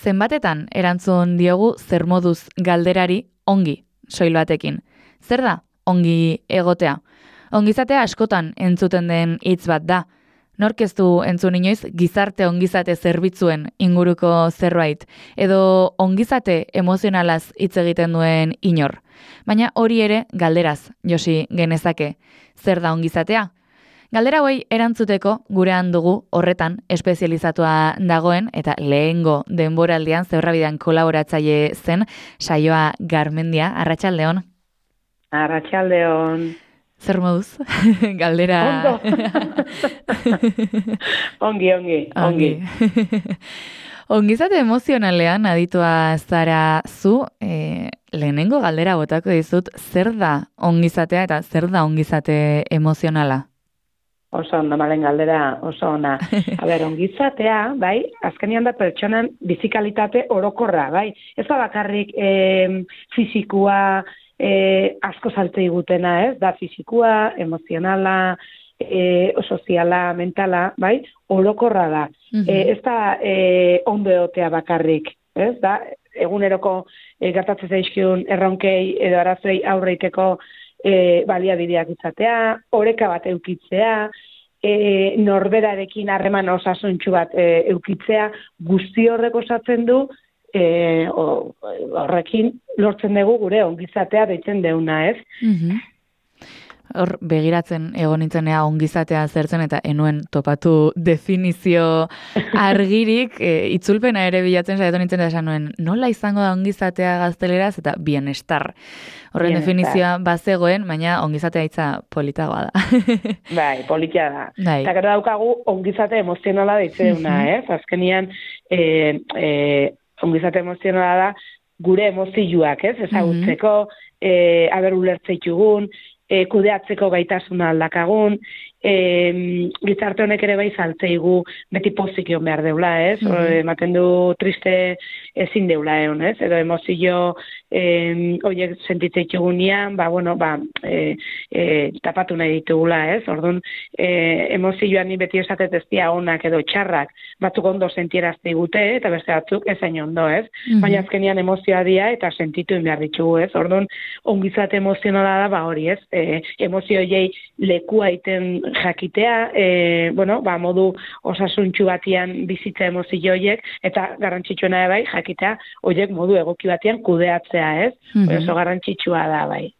zenbatetan erantzun diogu zer moduz galderari ongi, soil batekin. Zer da ongi egotea? Ongizatea askotan entzuten den hitz bat da. Nork ez du entzun inoiz gizarte ongizate zerbitzuen inguruko zerbait, edo ongizate emozionalaz hitz egiten duen inor. Baina hori ere galderaz, Josi, genezake. Zer da ongizatea? Galdera hauei erantzuteko gurean dugu horretan espezializatua dagoen eta lehengo denboraldian Zeurrabidean kolaboratzaile zen Saioa Garmendia. Arratsaldeon. Arratsaldeon. Zer moduz? Galdera... Ondo. ongi. Ongizate emozionalean aditua zara zu, lehenengo galdera botako dizut, zer da ongizatea eta zer da ongizate emozionala? Oso ondo, malen galdera, oso ona. Ongizatea, bai, azkenean da pertsonan bizikalitate orokorra, bai. Ez da bakarrik fizikua, asko salte igutena, ez? Da fizikua, emozionala, soziala, mentala, bai? Orokorra da. Ez da ondo egotea bakarrik, ez? Da, eguneroko gertatzen zaizkion erronkei edo arazoi aurreiteko baliabideak izatea, oreka bat eukitzea, norberarekin harreman osasuntsu bat eukitzea, guzti horrek osatzen du, horrekin lortzen dugu gure ongizatea deitzen deuna, ez? Hor, begiratzen egon nintzenea ongizatea zertzen eta enuen topatu definizio argirik, itzulpena ere bilatzen saiatu nintzen da esan nuen, nola izango da ongizatea gazteleraz eta bienestar. Horren definizioa bazegoen, baina ongizatea hitza politagoa da. Bai, polita da. Bai. Eta gero daukagu ongizate emozionala deitzeuna, ez? Azkenian, ongizate emozionala da gure emozioak, ez? Ezagutzeko, ulertzeitugun, kudeatzeko gaitasuna aldakagun, gizarte honek ere bai saltzeigu beti pozikion behar deula, ez? Ematen du triste ezin deula egon, ez? Edo emozio horiek sentitzeitugunean, tapatu nahi ditugula, ez? Orduan, emozioan ni beti esatet ez dia onak edo txarrak, batzuk ondo sentierazte igute, eta beste batzuk ezain ondo, ez? Baina azkenian emozioa dia eta sentitu behar ditugu, ez? Orduan, ongizate emozionala da, hori, ez? Emozioiei lekua iten jakitea, modu osasuntsu batian bizitza emozio horiek, eta garrantzitsuena bai, jakitea, horiek modu egoki batian kudeatzea, ez? Oso garrantzitsua da, bai.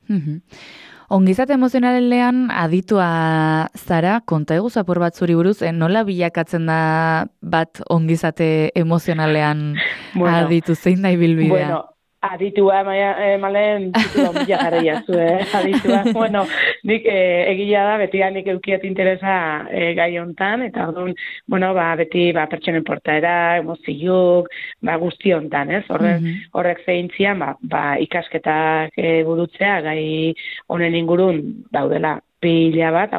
Ongizate emozionalean aditua zara, konta egu zapor bat zuri buruz, nola bilakatzen da bat ongizate emozionalean aditu, zein da ibilbidea? Aditua, malen, titulo mila jarria zu, aditua. Nik egila da, beti nik eukiet interesa gai hontan, eta orduan, beti pertsonen portaera, emozioak, guzti hontan, ez? Horrek zehintzian, ikasketak burutzea, gai honen ingurun daudela pila bat,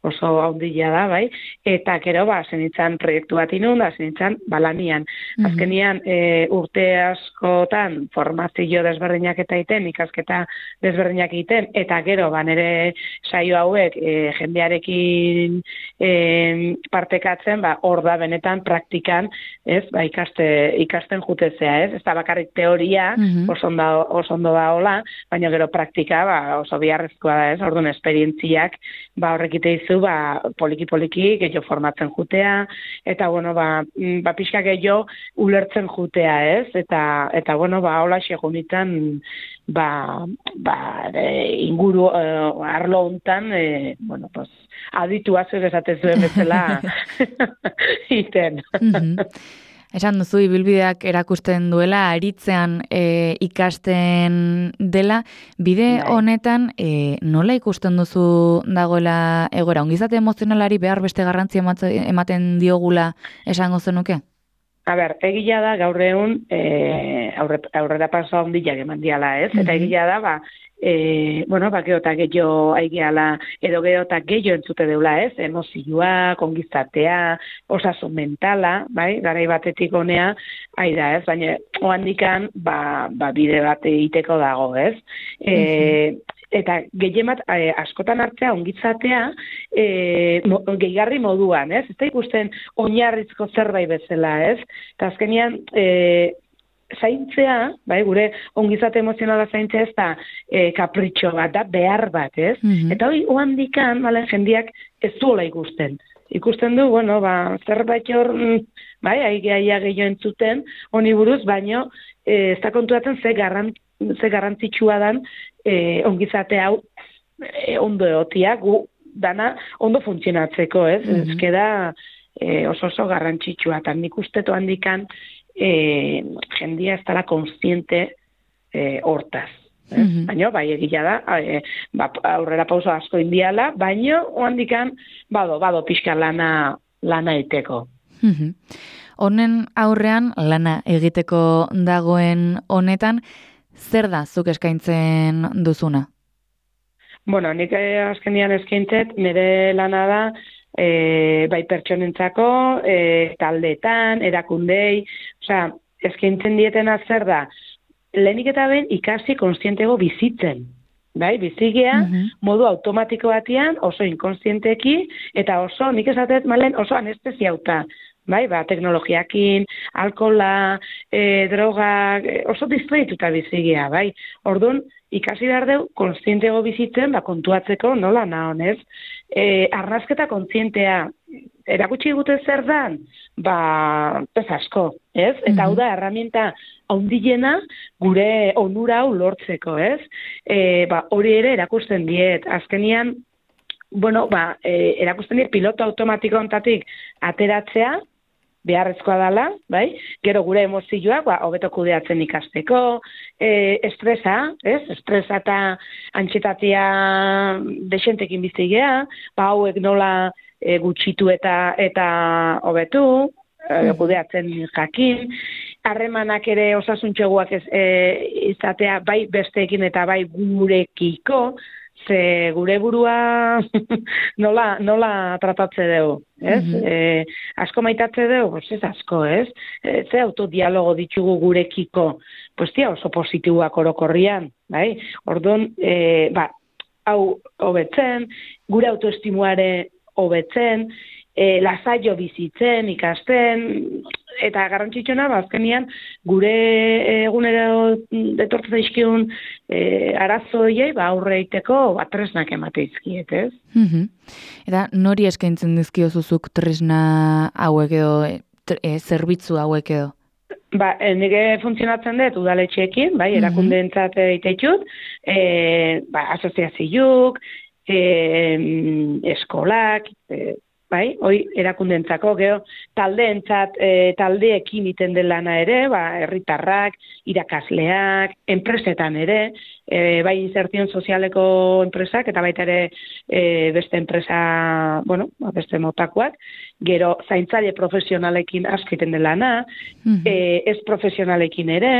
oso haundila da, bai, eta gero, zenitzan proiektu bat inun, zenitzan lanian. Azkenian, urte askotan formazio desberdinak eta iten, ikasketa desberdinak iten, eta gero, nire saio hauek jendearekin partekatzen, hor da benetan praktikan, ez, ikasten jutezea, ez, ez da bakarrik teoria, oso ondo da hola, baina gero praktika, oso biharrezkoa da, ez, orduan esperientziak, horrekite izu, poliki-poliki, gehiago formatzen jutea, eta, pixka gehiago ulertzen jutea, ez? Eta hola segunitan, inguru arlo hontan, aditua zuek esatez duen bezala iten. Esan duzu, ibilbideak erakusten duela, aritzean ikasten dela, bide honetan nola ikusten duzu dagoela egoera? Ongizate emozionalari behar beste garrantzia ematen diogula esango zenuke? Egila da gaur egun aurrera paso handiak eman diala, ez? Eta egila da, geotak gehiago aigeala, edo geotak gehiago entzute deula, ez? Emozioa, kongizatea, osasun mentala, bai? Garai batetik honea, da, ez? Baina, oandikan, bide bat egiteko dago, ez? eta gehiemat askotan hartzea ongitzatea gehigarri moduan, ez? Ez da ikusten oinarrizko zerbait bezala, ez? Eta azkenean zaintzea, bai, gure ongizate emozionala zaintzea ez da kapritxo bat, da behar bat, ez? Eta hori oandikan, bale, jendiak ez duela ikusten. Ikusten du, bueno, zerbait hor, bai, aigeaia gehiago entzuten, honi buruz, baino, ez da kontuatzen ze garrantzitsua dan ongizate hau ondo egotia, gu dana ondo funtzionatzeko, ez? Ez da oso garrantzitsua, eta nik uste handikan jendia ez dara konstiente hortaz. Baina, bai, egila da, aurrera pauso asko indiala, baina, oandikan, bado pixka lana egiteko. Honen aurrean, lana egiteko dagoen honetan, zer da zuk eskaintzen duzuna? Bueno, nik azkenian eskaintzet, nire lana da, bai pertsonentzako, taldeetan, erakundei, osea, eskaintzen dietena zer da, lehenik eta ben ikasi konstientego bizitzen. Bai, bizigea, modu automatiko batean, oso inkonstienteki, eta oso, nik esatet malen, oso anestesiauta. Bai, teknologiakin, alkola, drogak, oso distraituta bizigea, bai. Orduan, ikasi behar deu, konstientego bizitzen, kontuatzeko nola nahonez. Arnazketa kontzientea, erakutsi gute zer dan? Ez asko, ez? Eta hau da, erramienta haundilena gure onura hau lortzeko, ez? Hori ere erakusten diet. Azkenian, bueno, erakusten diet piloto automatiko ontatik ateratzea, beharrezkoa dela, bai? Gero gure emozioak, hobeto kudeatzen ikasteko, estresa, ez? Estresa eta antxetatia desentekin bizigea, hauek nola gutxitu eta hobetu, kudeatzen jakin, harremanak ere osasuntxeguak izatea bai besteekin eta bai gurekiko, ze gure burua nola tratatze dugu, ez? Asko maitatze dugu, ez asko, ez? Ze autodialogo ditugu gurekiko, pues tia oso positiboak orokorrian, bai? Orduan, hau hobetzen, gure autoestimuare hobetzen, lasaio bizitzen, ikasten, eta garrantzitsuna, azkenian, gure egunero detortzen daizkigun arazoiei, aurre egiteko tresnak emateizkiet, ez? Eta nori eskaintzen dizkiozuzuk tresna hauek edo, zerbitzu hauek edo? Nire funtzionatzen dut udaletxeekin, bai, erakundeentzat egiteitut, asoziazioak, eskolak, bai, hoi erakundentzako, geho, taldeentzat, taldeekin iten den lana ere, herritarrak, irakasleak, enpresetan ere, bai insertion sozialeko enpresak, eta baita ere beste enpresa, bueno, beste motakoak, gero zaintzaile profesionalekin asko iten den lana, ez profesionalekin ere,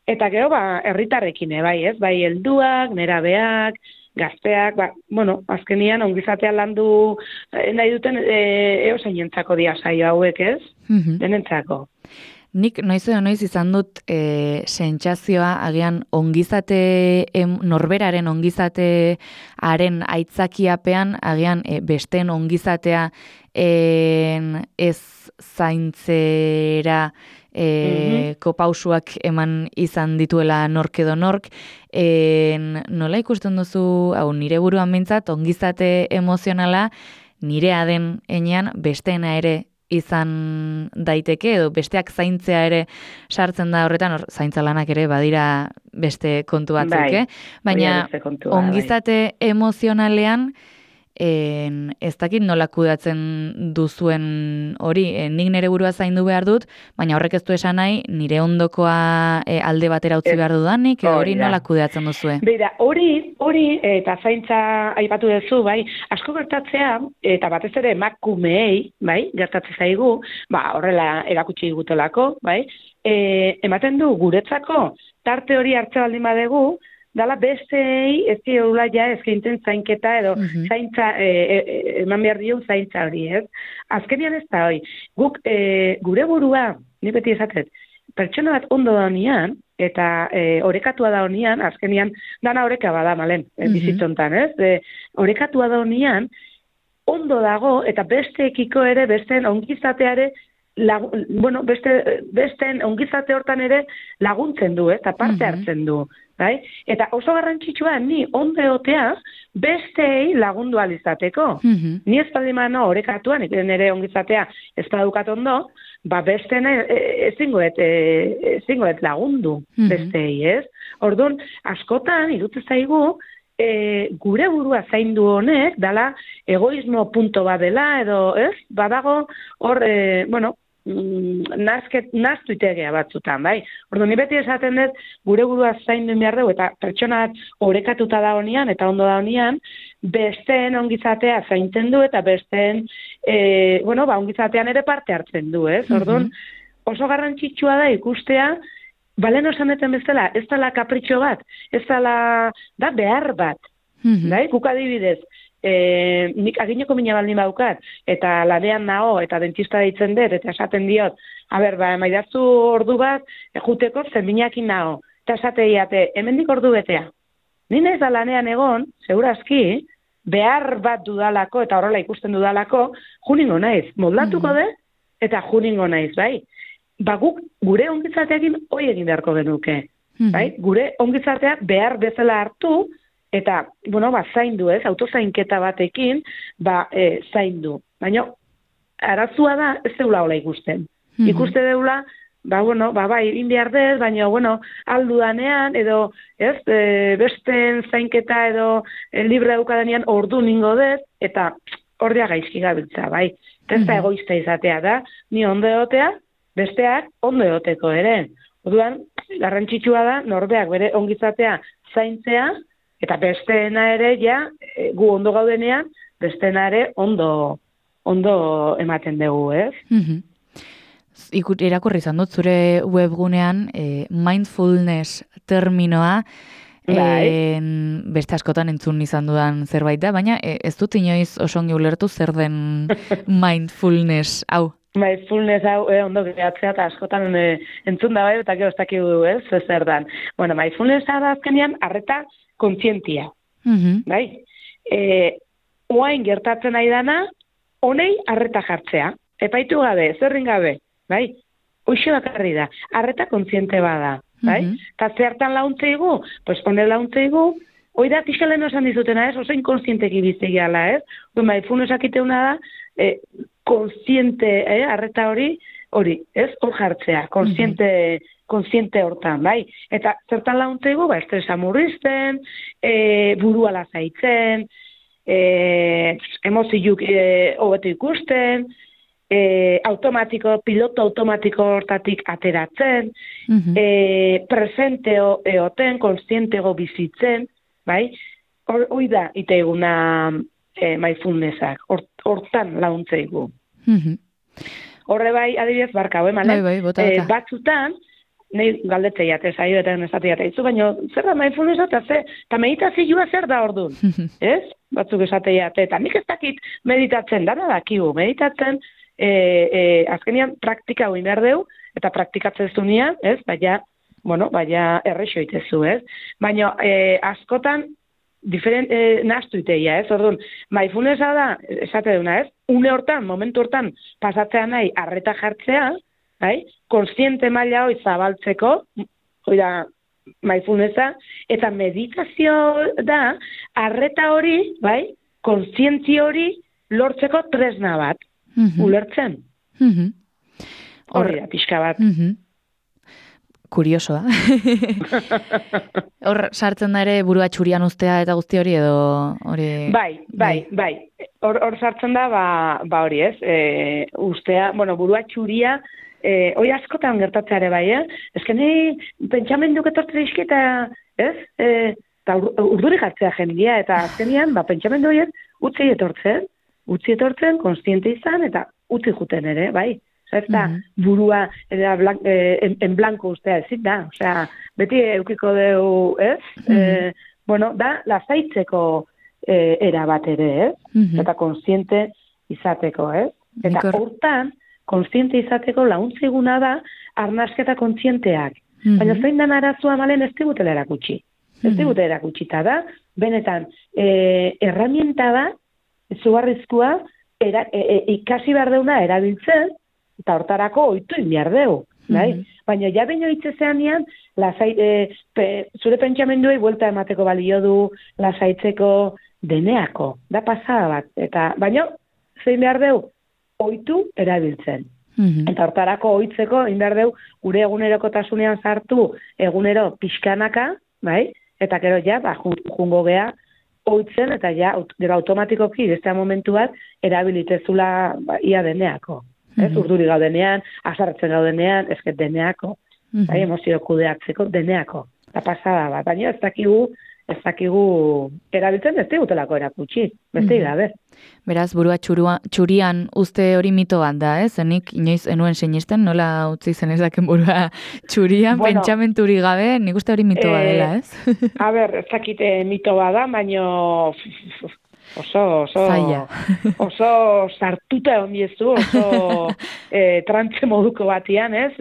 eta gero, herritarrekin, bai, ez, bai helduak, nerabeak, gazteak, bueno, azkenian ongizatean landu nahi duten eosainentzako dia saio hauek, ez? Denentzako. Nik noiz izan dut sentsazioa agian ongizate, norberaren ongizatearen aitzakiapean, agian besteen ongizatea ez zaintzera kopausuak eman izan dituela nork edo nork. Nola ikusten duzu, nire buruan mintzat, ongizate emozionala nirea den enean besteena ere izan daiteke, edo besteak zaintzea ere sartzen da horretan, zaintza lanak ere badira beste kontu batzuk, baina ongizate emozionalean ez dakit nola kudeatzen duzuen hori, nik nire burua zaindu behar dut, baina horrek ez du esan nahi, nire ondokoa alde batera utzi behar dudanik, hori nola kudeatzen duzue? Beira, hori eta zaintza aipatu duzu, bai, asko gertatzea, eta batez ere emakumeei, bai, gertatzen zaigu, horrela erakutsi digutelako, bai, ematen du guretzako, tarte hori hartze baldin badegu, dala bestei ez diola eskaintzen zainketa edo zaintza, eman behar dio zaintza hori, ez? Azkenian ez da hori. Guk gure burua, ni beti esatet, pertsona bat ondo da honian, eta orekatua da honian, azkenian, dana oreka bada, malen, bizitzontan, ez? Orekatua da honian, ondo dago, eta besteekiko ere, besteen ongizateare, besteen ongizate hortan ere laguntzen du, eta parte hartzen du. Bai? Eta oso garrantzitsua, ni ondo egotea, besteei lagundu alizateko. Ni ez badimano orekatuan, nire ongizatea ez badukat ondo, besteen ezingoet lagundu besteei, ez? Orduan, askotan, irutu zaigu, gure burua zaindu honek, dala egoismo punto bat dela, edo, ez? Badago, hor, naztu itegea batzutan, bai? Orduan, ni beti esaten dut, gure burua zaindu behar dugu, eta pertsona bat orekatuta da honian, eta ondo da honian, besteen ongizatea zaintzen du, eta besteen, ongizatean ere parte hartzen du, ez? Orduan, oso garrantzitsua da ikustea, balen osaneten bezala, ez dala kapritxo bat, ez dala, da behar bat, bai? Guk adibidez, nik agineko mina baldin baukat, eta lanean nao, eta dentista deitzen dut, eta esaten diot, maidazu ordu bat, juteko zenbinakin nao, eta esateiate, hemendik ordu betea. Nina ez da lanean egon, segurazki, behar bat dudalako, eta horrela ikusten dudalako, juningo naiz, moldatuko dut, eta juningo naiz, bai? Guk gure ongizateakin hoi egin beharko genuke, bai? Gure ongizatea behar bezala hartu, eta, zaindu, ez, autozainketa batekin, zaindu. Baina, arazua da, ez deula hola ikusten. Ikuste deula, egin behar dez, baina, aldu danean, edo, ez, besten zainketa edo libre daukadenean ordu ningo dez, eta ordea gaizki gabiltza, bai. Ez da egoista izatea da, ni ondo egotea, besteak ondo egoteko ere. Orduan, garrantzitsua da, norbeak bere ongizatea zaintzea, eta besteena ere, gu ondo gaudenean, besteena ere ondo ematen dugu, ez? Irakurri izan dut, zure webgunean, mindfulness terminoa, beste askotan entzun izan dudan zerbait da, baina ez dut inoiz oso ongi ulertu zer den mindfulness hau. Mindfulness hau, ondo gehatzea, eta askotan entzun da bai, eta gero ez dakigu, ez, zer dan. Mindfulness da azkenean, arreta kontzientia. Bai? Oain gertatzen nahi dana, honei arreta jartzea. Epaitu gabe, zerrin gabe. Bai? Hoxe bakarri da. Arreta kontziente bada. Bai? Eta zertan launtzeigu? Pues honen launtzeigu, hoi da pixalen osan dizutena, ez? Oso inkonsienteki biztegiala, ez? Mindfulness akiteuna da, konsiente, arreta hori, ez? Hor jartzea, konsiente hortan, bai? Eta zertan launtzeigu, estresa murrizten, burua lasaitzen, emoziuk hobeto ikusten, piloto automatiko hortatik ateratzen, presente eoten, konsientego bizitzen, bai? Hoi da, ite eguna mindfulnessak, hortan launtzeigu. Horre bai, adibidez, barka, malen? Batzutan, nahi galdetzeiat, zaio eta nesatiat eizu, baina zer da mindfulnessa eta meditazioa zer da orduan, ez? Batzuk esateiat, eta nik ez dakit meditatzen, dana dakigu, meditatzen, azkenian praktika hori behar deu, eta praktikatzen zunean, ez? Baina errexo itezu, ez? Baina askotan, nahaztu iteia, ez? Orduan, mindfulnessa da, esate duna, ez? Une hortan, momentu hortan, pasatzea nahi, arreta jartzea, bai? Konsiente maila hori zabaltzeko, hori da, mindfulnessa, eta meditazio da, arreta hori, bai? Konsientzi hori lortzeko tresna bat. Ulertzen? Horri da, pixka bat. Kuriosoa. Hor sartzen da ere burua txurian ustea eta guzti hori edo hori... Bai. Hor sartzen da, hori ez, ustea, burua txuria, hori askotan gertatzeare bai, ezken pentsamenduk etortzen dizkita, ez? Eta urduri jartzea jendia, eta azkenian, pentsamendu horiek utzi etortzen, konstiente izan, eta utzi juten ere, bai. Eta burua en blanco ustea ezin da. Osea, beti eukiko dugu, ez? Da, lasaitzeko era bat ere, ez? Eta konstiente izateko, ez? Eta hortan, kontziente izateko launtziguna da arnasketa kontzienteak. Baina zein den arazoa malen ez digutela erakutsi. Ez digutela erakutsita da, benetan, herramienta da, zugarrizkoa, ikasi behar deuna erabiltzen, eta hortarako ohitu behar deu. Baina ja baino itzezean nian, zure pentsamenduei buelta emateko balio du, lasaitzeko deneako, da pasada bat. Eta baino, zein behar deu, ohitu erabiltzen. Eta hortarako ohitzeko, behar deu, gure egunerokotasunean sartu, egunero pixkanaka, bai? Eta gero ja, jungo gea, ohitzen, eta ja, gero automatikoki, beste momentu bat, erabilitezula ia deneako. Urduri gaudenean, azartzen gaudenean, ezket deneako, emozio kudeatzeko deneako. Eta pasada bat, baina ez dakigu erabiltzen ez digutelako erakutsi, beste gabe. Beraz, burua txurian uste hori mito bat da, zenik inoiz enuen sinisten, nola utzi zen ezaken burua txurian, pentsamenturik gabe, nik uste hori mito bat dela, ez? A ber, ez dakite mito bat da, baina oso sartuta egon diezu, oso trantze moduko batian, ez?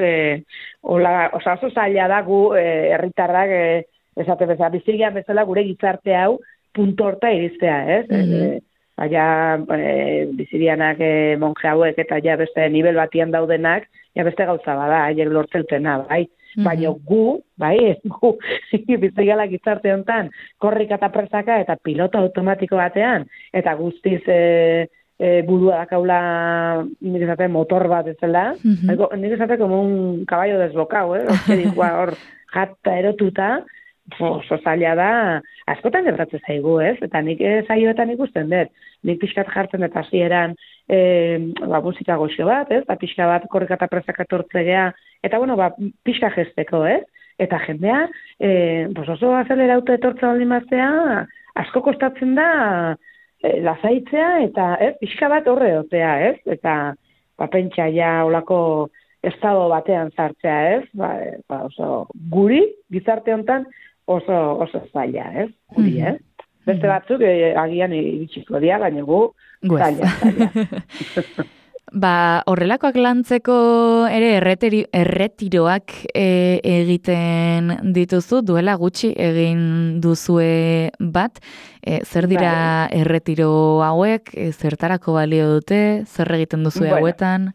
Oso zaila da gu herritarrak, esate bezala, bizigian bezala gure gizarte hau punto horta iriztea, ez? Baina bizigianak monje hauek eta ja beste nivel batian daudenak, ja beste gauza bada, haiek lortzeutena, bai? Baina gu bizigala gizarte honetan, korrika eta presaka eta pilota automatiko batean, eta guztiz burua dakaula nik esate motor bat ezela, nik esate como un caballo desbocado, hor jata erotuta, oso zaila da, askotan gertatzen zaigu, ez? Eta nik zaioetan ikusten dut, nik pixkat jartzen eta hasieran musika goxo bat, ez? Pixka bat korrika eta presaka tortzegea, eta pixka gesteko, ez? Eta jendea, oso azelerauta etortza baldin baztea, asko kostatzen da lasaitzea, eta pixka bat horre dotea, ez? Eta pentsa ja olako estado batean sartzea, ez? Oso guri, gizarte honetan, oso zaila, ez? Guri, ez? Beste batzuk agian iritsiko dira, baina gu zaila. Horrelakoak lantzeko ere erretiroak egiten dituzu, duela gutxi egin duzue bat. Zer dira erretiro hauek, zertarako balio dute, zer egiten duzue hauetan?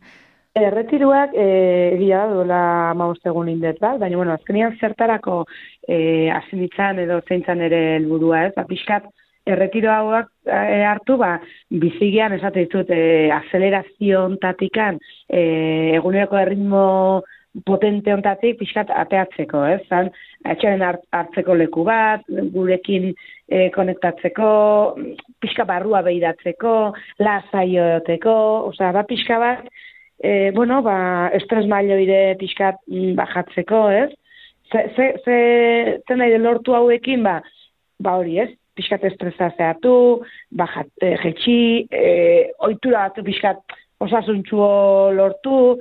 Erretiroak egia da duela 15 egun indet bat, baina azkenian zertarako asinitzan edo zeintzan ere helburua, ez? Pixkat erretiro hauak hartu, bizigian esate ditut azelerazio ontatikan, eguneroko erritmo potente ontatik pixkat ateatzeko, ez? Etxaren hartzeko leku bat, gurekin konektatzeko, pixka barrua behiratzeko, lasaioeteko, pixka bat, estres mailoire pixkat bajatzeko, ez? Zer nahi lortu hauekin, hori, ez? Pixkat estresa zehatu, jetxi, ohitura batu pixkat osasuntxuo lortu,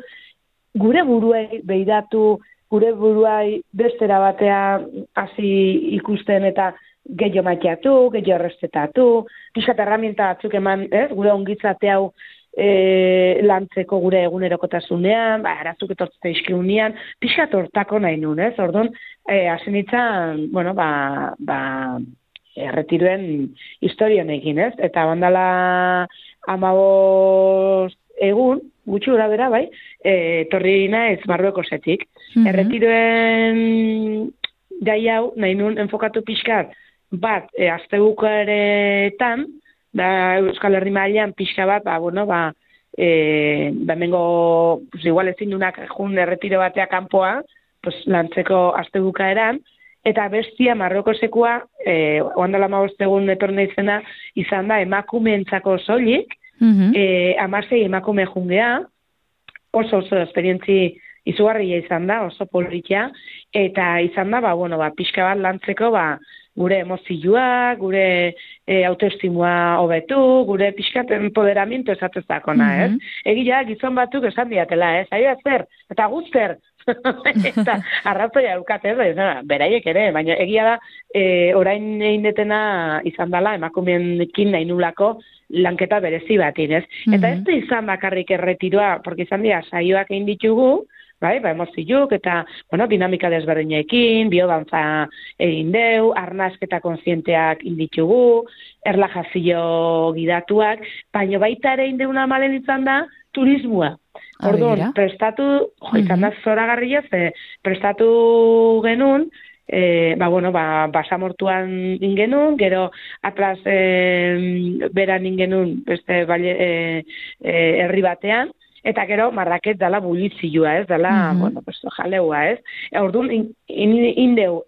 gure buruei behiratu, gure buruai bestera batea hasi ikusten eta gehiago maiteatu, gehiago errespetatu, pixkat herramienta batzuk eman, ez? Gure ongitzate hau lantzeko gure egunerokotasunean, arazuk etortzea izkiunean, pixkat hortako nahi nun, ez? Orduan, hasi nintzen, erretiroen historionekin, ez? Eta bandala 15 egun, gutxi gura bera, bai, torri naiz Marruekosetik. Erretiroen gai hau, nahi nun enfokatu pixkat, bat, astebukaretan, Euskal Herri mailan pixka bat, hemengo, igual ezin dunak jun erretiro batea kanpoa, lantzeko astebukaeran, eta bestia Marruekosekoa, oandala 15 egun etorne izena, izan da emakumeentzako soilik, 16 emakume jungea, oso esperientzi izugarria izan da, oso politia, eta izan da, pixka bat lantzeko, gure emozioa, gure autoestimua hobetu, gure pixkat empoderamiento esatezakona, ez? Egia, gizon batzuk esan diatela, ez? Aia zer, eta guzter, Eta arrazoia eukatez, beraiek ere, baina egia da, orain egin detena izan dela, emakumeenekin nahi nulako lanketa berezi batin, ez? Eta ez da izan bakarrik erretiroa, porque izan dira saioak egin ditugu, bai, emozioak eta, dinamika desberdinekin, biodantza egin deu, arnasketa kontzienteak inditugu, erlajazio gidatuak, baina baita ere indeuna malen izan da, turismoa. Orduan, prestatu, izan da zoragarria, prestatu genuen, basamortuan ingenun, gero atlas beran ingenun beste herri batean, eta gero marraket dala bulizioa, ez, dala, jaleua, ez. Orduan, indeu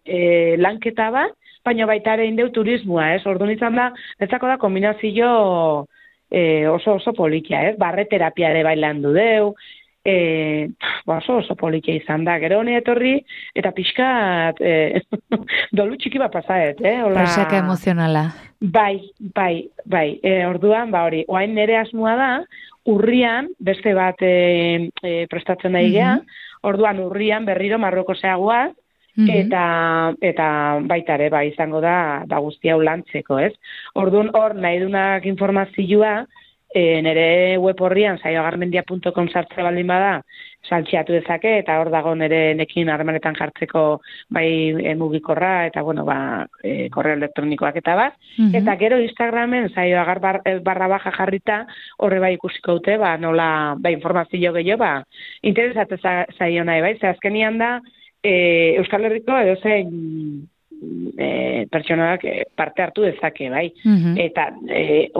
lanketa bat, baina baita ere indeu turismoa, ez. Orduan izan da, netzako da kombinazio oso politia, ez. Barreterapia ere bailan du deu, oso politia izan da. Gero honi etorri, eta pixkat dolu txiki bat pasaet, Presaka emozionala. Bai. Orduan, hori, oain nire asmoa da, urrian, beste bat prestatzen nahi gea, orduan urrian berriro Marrokosea guaz, eta baita ere, izango da guztia ulantzeko, ez? Orduan hor nahi dunak informazioa, nire web horrian, saioagarmendia.com sartze baldin bada, saltxeatu dezake, eta hor dago nire nekin harremanetan jartzeko mugikorra, eta korreo elektronikoak eta bat. Eta gero Instagramen saioagar _baja jarrita, horre bai ikusiko dute, nola, informazio gehiago, interesatu zaio nahi, bai? Ze azkenian da, Euskal Herriko edozein pertsonak parte hartu dezake, bai? Eta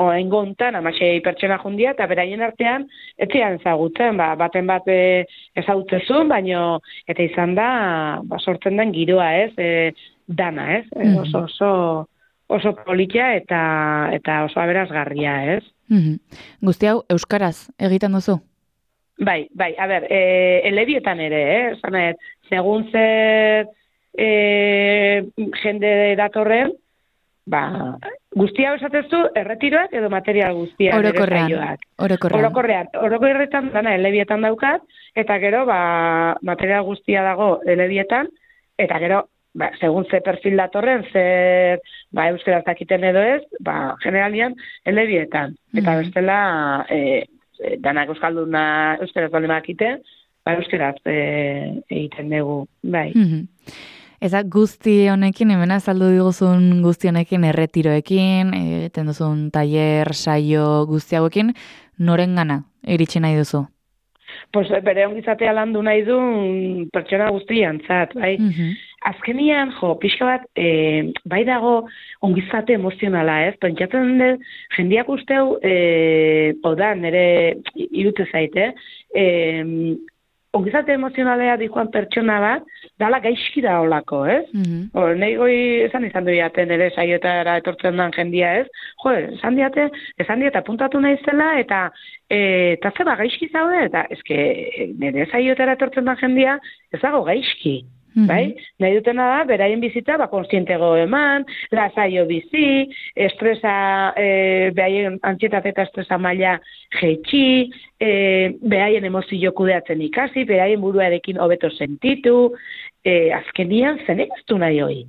oaingo hontan 16 pertsona jundia, eta beraien artean ez zian ezagutzen, baten bat ezagutzezun, baino eta izan da sortzen den giroa, ez? Dana, ez? Oso politia eta oso aberasgarria, ez? Guzti hau euskaraz egiten duzu? Bai, a ber, elebietan ere, segun zer jende datorren, guztia esatezu erretiroak edo material guztia. Orokorrean dana elebietan daukat, eta gero material guztia dago elebietan, eta gero segun ze perfil datorren, zer euskaraz dakiten edo ez, generalian elebietan. Eta bestela, danak euskalduna euskaraz baldin bakite, euskaraz egiten dugu, bai. Eza guzti honekin, hemen azaldu diguzun guzti honekin, erretiroekin, eten duzun tailer, saio guzti hauekin, noren gana iritsi nahi duzu? Pues bere ongizatea landu nahi du pertsona guztian, bai? Azkenian, pixka bat, bai dago ongizate emozionala, ez? Pentsatzen dut, jendiak usteu, nire irute zaite, ongizate emozionalea dikoan pertsona bat, dala gaizki da olako, ez? Nahi goi esan izan duiaten ere saioetara etortzen den jendia, ez? Esan diate apuntatu nahi zela, eta zeba gaizki zaude, eta nire saioetara etortzen den jendia, ez dago gaizki. Bai? Nahi dutena da, beraien bizitza, konstientego eman, lasaio bizi, estresa, behaien antsietate eta estresa maila jetxi, behaien emozio kudeatzen ikasi, behaien buruarekin hobeto sentitu, azkenian zenek ez du nahi hoi.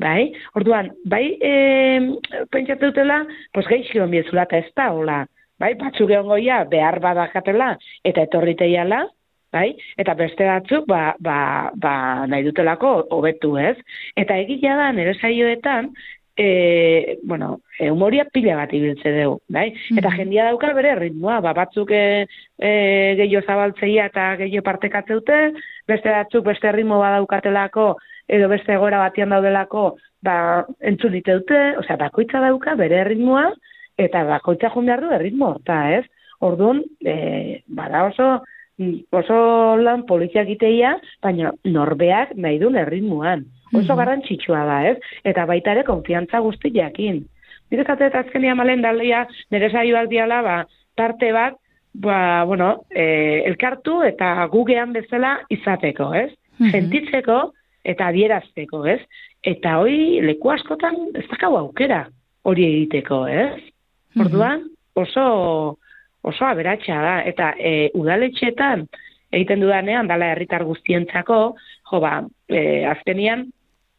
Bai? Orduan, pentsatu dutela, gaizki hon biezula eta ez da, hola. Bai? Batzuk egon goia, behar badakatela eta etorriteiala, bai? Eta beste batzuk, nahi dutelako hobetu, ez? Eta egia da, nire saioetan, humoria pila bat ibiltze dugu, bai? Eta jendia dauka bere ritmoa, batzuk gehiago zabaltzeia eta gehiago partekatzeute, beste batzuk beste ritmo badaukatelako, edo beste egoera batian daudelako, entzun dute, bakoitza dauka bere ritmoa, eta bakoitza joan behar du erritmo horta, ez? Orduan, bada oso lan polizia egiteia, baina norbeak nahi duen erritmoan. Oso garrantzitsua da, ez? Eta baita ere konfiantza guzti jakin. Direkate eta azkenia malen dalea, nire saioak diala, tarte bat, elkartu eta gugean bezala izateko, ez? Sentitzeko eta adierazteko, ez? Eta hori leku askotan ez dakau aukera hori egiteko, ez? Orduan, oso aberatsa da, eta udaletxetan egiten dudanean, dala herritar guztientzako, azkenian,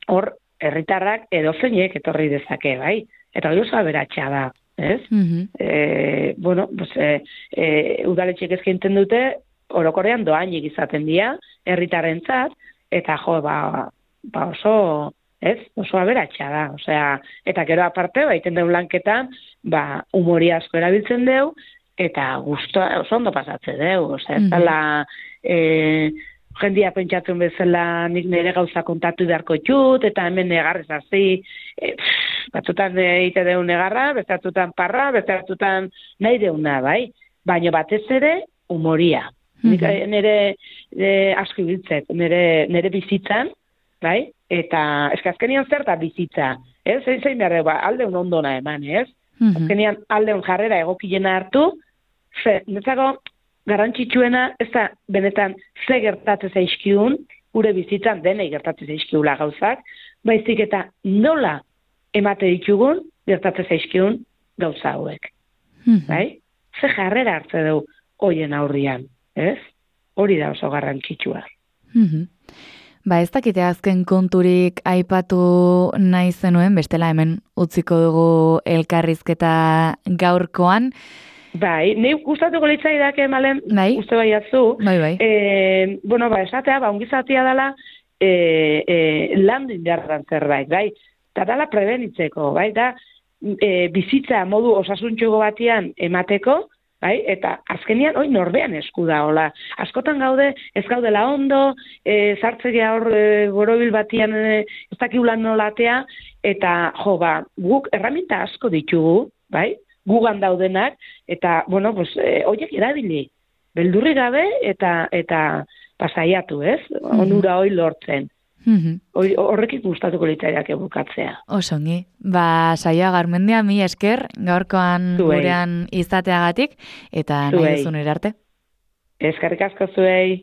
hor, herritarrak edozeinek etorri dezake, bai? Eta hori oso aberatsa da, ez? Udaletxek eskaintzen dute, orokorrean doainik izaten dira, herritarrentzat, eta oso aberatsa da. Osea, eta gero aparte, egiten deun lanketan, humori asko erabiltzen deu, eta guztua oso ondo pasatzen deu. Osea, ez dela jendia pentsatzen bezala nik nire gauza kontatu beharko txut, eta hemen negarrez hasi, batzutan egite deun negarra, bestatutan parra, bestatutan nahi deuna, bai? Baina batez ere, humoria. Nik nire asko ibiltzet, nire bizitzan, bai? Eta azkenian zer da bizitza, ez? Zein behar dugu, aldeun ondona eman, ez? Azkenian aldeun jarrera egokilena hartu, netzako garrantzitsuena, ez da benetan ze gertatzen zaizkiun, gure bizitzan denei gertatzen zaizkiula gauzak, baizik eta nola emate ditugun gertatzen zaizkiun gauza hauek. Bai? Ze jarrera hartze dugu hoien aurrian, ez? Hori da oso garrantzitsua. Ez dakite azken konturik aipatu nahi zenuen, bestela hemen utziko dugu elkarrizketa gaurkoan. Bai, nahi gustatuko litzaidake Malen, uste baiatzu. Bai. Esatea, ongizatia dela landu indarran zerbait, bai? Eta dela prebenitzeko, bai? Da, bizitza modu osasuntxugo batian emateko, bai? Eta azkenian, norbean esku da, hola. Askotan gaude, ez gaudela ondo, zartzegea hor borobil batian ez dakiulan nolatea, eta guk erraminta asko ditugu, bai? Gugan daudenak, eta, horiek erabili. Beldurri gabe eta pasaiatu, ez? Onura hori lortzen. Horrekik gustatuko litzaidake bukatzea. Osongi. Saioa Garmendia, mi esker, gaurkoan gurean izateagatik, eta nahi duzun erarte. Eskerrik asko zuei.